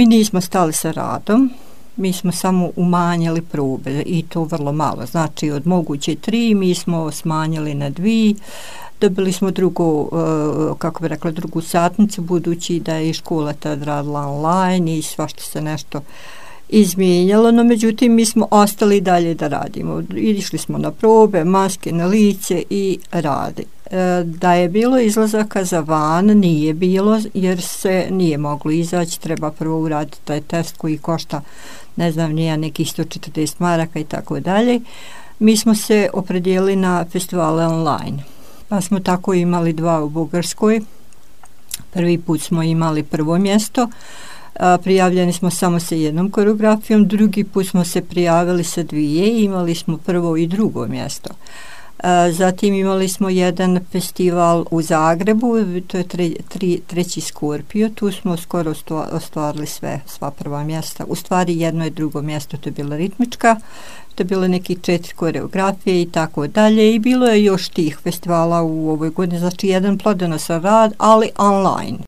Mi nismo stali sa radom, mi smo samo umanjili probe i to vrlo malo. Znači od moguće 3 mi smo smanjili na 2, dobili smo drugu satnicu, budući da je i škola tad radila online i svašta se nešto izmijenjalo, no međutim mi smo ostali dalje da radimo. Išli smo na probe, maske na lice i radi. Da je bilo izlazaka za van, nije bilo, jer se nije moglo izaći, treba prvo uraditi taj test koji košta, ne znam, nekih 140 maraka i tako dalje. Mi smo se opredijelili na festivale online, pa smo tako imali 2 u Bugarskoj. Prvi put smo imali prvo mjesto, prijavljeni smo samo sa 1 koreografijom, drugi put smo se prijavili sa 2 i imali smo prvo i drugo mjesto. Zatim imali smo jedan festival u Zagrebu, to je treći Skorpio, tu smo skoro ostvarili sva prva mjesta. U stvari 1 i drugo mjesto, to je bila ritmička, to je bilo nekih 4 koreografije i tako dalje, i bilo je još tih festivala u ovoj godini, znači jedan plodonosan rad, ali online.